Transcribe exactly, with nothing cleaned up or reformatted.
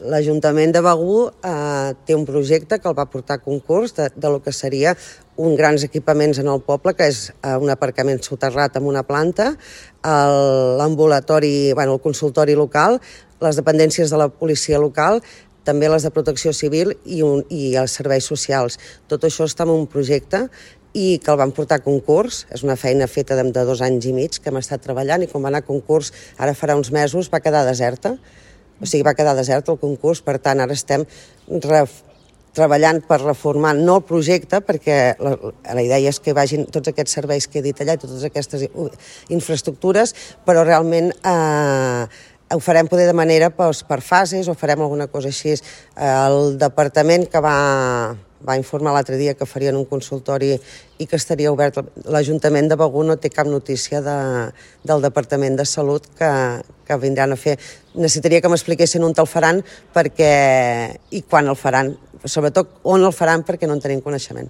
L'Ajuntament de Begur eh, té un projecte que el va portar a concurs de, de lo que seria uns grans equipaments en el poble, que és eh, un aparcament soterrat amb una planta, l'ambulatori, bueno, el consultori local, les dependències de la policia local, també les de protecció civil i, un, i els serveis socials. Tot això està en un projecte i que el van portar a concurs. És una feina feta de, de dos anys i mig que hem estat treballant, i quan va anar a concurs, ara farà uns mesos, va quedar deserta. O sigui, va quedar desert el concurs, per tant, ara estem treballant per reformar, no el projecte, perquè la, la idea és que vagin tots aquests serveis que he dit allà i totes aquestes infraestructures, però realment eh, ho farem poder de manera doncs, per fases, o farem alguna cosa així. El departament que va... va informar l'altre dia que farien un consultori i que estaria obert. L'Ajuntament de Begur no té cap notícia de, del Departament de Salut que, que vindran a fer. Necessitaria que m'expliquessin on el faran perquè, i quan el faran, sobretot on el faran, perquè no en tenim coneixement.